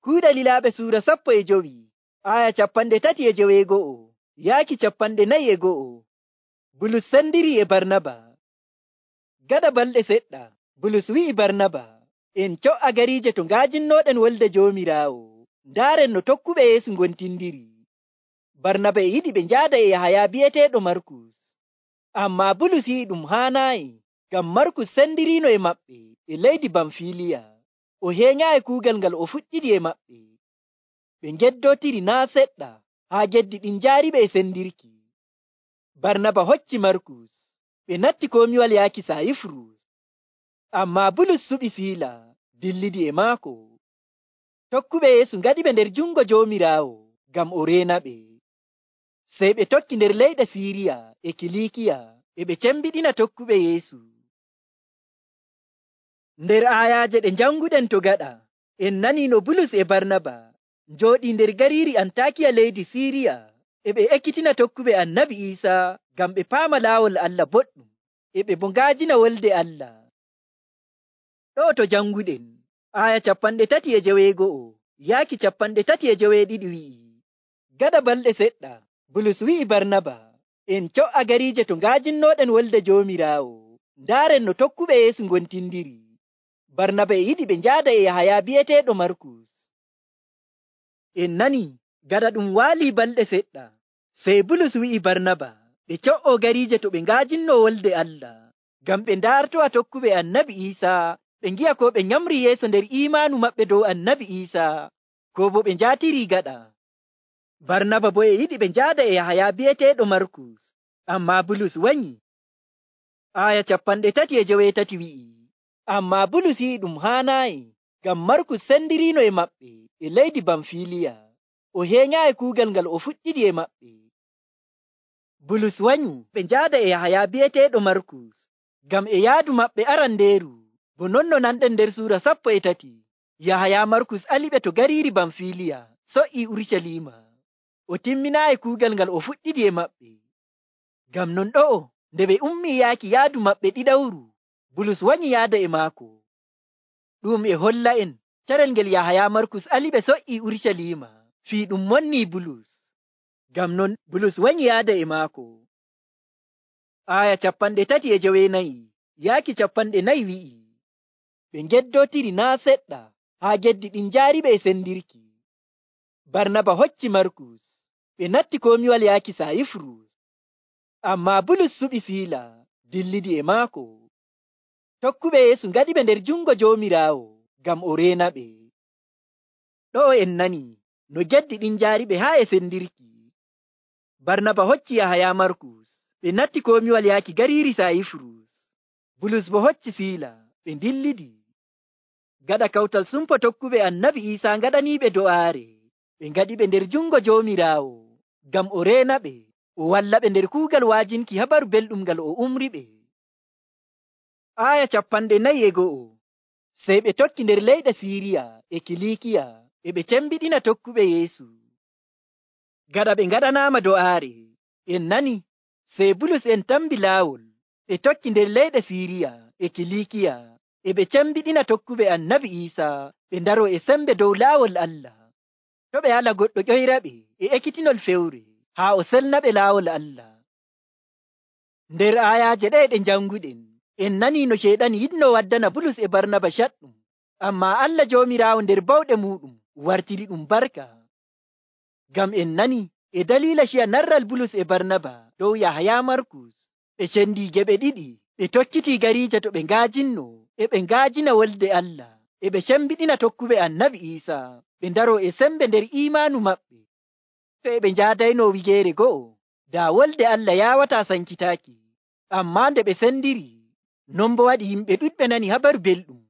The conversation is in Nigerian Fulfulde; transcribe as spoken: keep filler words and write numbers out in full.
Kuuɗe Lilaaɓe suura sappo e jowi aya capanɗe tati e joweego'o yaaki capanɗe nayi e go'o. Bulus sendiri e Barnaba. Gaɗa balɗe seɗɗa Bulus wi'i Barnaba, en co''a gariije to nga'ajinnooɗen Wolde Joomiraawo, ndaaren no tokkuɓe Yeesu ngontindiri. Barnaba e yiɗi ɓe njaada e Yahaya bi'eteeɗo Markus. Ammaa Bulus yi'i ɗum haanaayi, ngam Markus sendiriino e maɓɓe e leydi Bamfiliya. O heenyaayi kuugal ngal o fuɗɗidi e maɓɓe. Ɓe ngeddootiri naa' seɗɗa haa geddi ɗin njaariɓe e sendirki. Barnaba hocci Markus, ɓe natti komiwal yaaki Sayifurus. Ammaa Bulus suɓi Siila, dillidi e maako. Tokkuɓe Yeesu ngaɗiɓe nder jungo Joomiraawo ngam o reenaɓe. Sey ɓe tokki nder leyɗe Siiriya e Kiliikiya e ɓe cembiɗina tokkuɓe Yeesu. Nder aayaaje ɗe njanguɗen to gaɗa, en nanii no Bulus e Barnaba njooɗii nder gariiri Antakiya leydi Siiriya e ɓe ekkitina tokkuɓe Annabi Iisaa ngam ɓe paama laawol Allah boɗɗum, e ɓe bo nga'ajina Wolde Allah. Ɗo to janguɗen, aya capanɗe tati e joweego'o yaaki capanɗe tati e joweeɗiɗi wi'i, gaɗa balɗe seɗɗa Bulus wi'i Barnaba, en co''a gariije to nga'ajinnooɗen Wolde Joomiraawo, ndaaren no tokkuɓe Yeesu ngontindiri. Barnaba e yiɗi ɓe njaada e Yahaya bi'eteeɗo Markus. En nani gaɗa ɗum waalii balɗe seɗɗa, sey Bulus wi'i Barnaba ɓe co''o gariije to ɓe nga'ajinnoo Wolde Allah, ngam ɓe ndaartowa tokkuɓe Annabi Iisaa, ɓe ngi'a ko ɓe nyamri yeeso nder iimaanu maɓɓe dow Annabi Iisaa, ko bo ɓe njaatirii gaɗa. Barnaba bo e yiɗi ɓe njaada e Yahaya bi'eteeɗo Markus, ammaa Bulus wanyi. Aya capanɗe tati e joweetati wi'i, ammaa Bulus yi'i ɗum haanaayi, ngam Markus sendiriino e maɓɓe e leydi Bamfiliya. O heenyaayi kuugal ngal o fuɗɗidi e maɓɓe. Bulus wanyi ɓe njaada e Yahaya bi'eteeɗo Markus, ngam e yaadu maɓɓe arandeeru, bo non no nanɗen nder suura sappo e tati, Yahaya Markus aliɓe to gariiri Bamfiliya, so''ii Urucaliima. O timminaayi kuugal ngal o fuɗɗidi e maɓɓe. Ngam non ɗo'o, nde ɓe ummii yaaki yaadu maɓɓe ɗiɗawru, Bulus wanyi yaada e maako. Ɗum e holla en carel ngel Yahaya Markus aliɓe so''ii Urucaliima fii ɗum monnii Bulus. Ngam non Bulus wanyi yaada e maako. Aya capanɗe tati e joweenayi yaaki capanɗe nayi wi'i, ɓe ngeddootiri naa' seɗɗa haa geddi ɗin njaariɓe e sendirki. Barnaba hocci Markus, ɓe natti komiwal yaaki Sayifurus. Ammaa Bulus suɓi Siila, dillidi e maako. Tokkuɓe Yeesu ngaɗiɓe nder jungo Joomiraawo ngam o reenaɓe. Ɗo'o en nani no geddi ɗin njaariɓe haa e sendirki. Barnaba hocci Yahaya Markus, ɓe natti komiwal yaaki gariiri Sayifurus. Bulus bo hocci Siila, ɓe ndillidi. Gaɗa kawtal sumpo tokkuɓe Annabi Iisaa ngaɗaniiɓe do'aare, ɓe ngaɗiɓe nder jungo Joomiraawo ngam o reenaɓe, o wallaɓe nder kuugal wa'ajinki habaru belɗum ngal o umriɓe. Aya capanɗe nayi e go'o, sey ɓe tokki nder leyɗe Siiriya e Kiliikiya e ɓe cembiɗina tokkuɓe Yeesu. Gaɗa ɓe ngaɗanaama do'aare, en nani sey Bulus en tambi laawol, ɓe tokki nder leyɗe Siiriya e Kiliikiya e ɓe cembiɗina tokkuɓe Annabi Iisaa, ɓe ndaro e sembe dow laawol Allah. To ɓe ala goɗɗo ƴoyraɓe e ekkitinol fewre haa o selnaɓe laawol Allah. Nder aayaaje ɗe ɗe njanguɗen, en nanii no Ceyɗan yiɗno waddana Bulus e Barnaba caɗɗum, ammaa Allah Joomiraawo nder bawɗe muuɗum wartiri ɗum barka. Ngam en nani e daliila ciya narral Bulus e Barnaba dow Yahaya Markus, ɓe cendii geɓe ɗiɗi, ɓe tokkitii gariije to ɓe nga'ajinno, e ɓe nga'ajina Wolde Allah, e ɓe cembiɗina tokkuɓe Annabi Iisaa, ɓe ndaro e sembe nder iimaanu maɓɓe. To e ɓe njaadayno wigeere go'o, daa Wolde Allah yaawataa sankitaaki. Ammaa nde ɓe sendiri, non bo waɗi yimɓe ɗuɗɓe nani habaru belɗum,